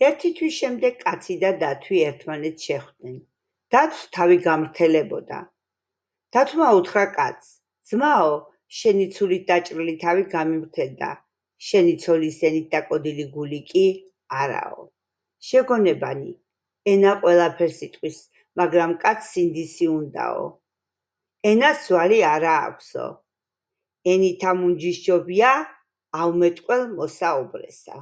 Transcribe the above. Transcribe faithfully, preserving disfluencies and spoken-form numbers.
ერთი თვის შემდეგ კაცი და დათვი ერთმანეთს შეხვდნენ. დათვს თავი გამრთელებოდა. დათვმა უთხრა კაცს: ძმაო, შენი ცულით დაჭრილი თავი გამიმრთელდა, შენი ცოლის ენით დაკოდილი გული კი არაო. შეგონებანი, ენა ყველაფერს იტყვის, მაგრამ კაცს სინდისი უნდაო. ენას ძვალი არა აქვსო. ენითა მუნჯის ჯობია, აუმეტყველს მოსაუბრესა.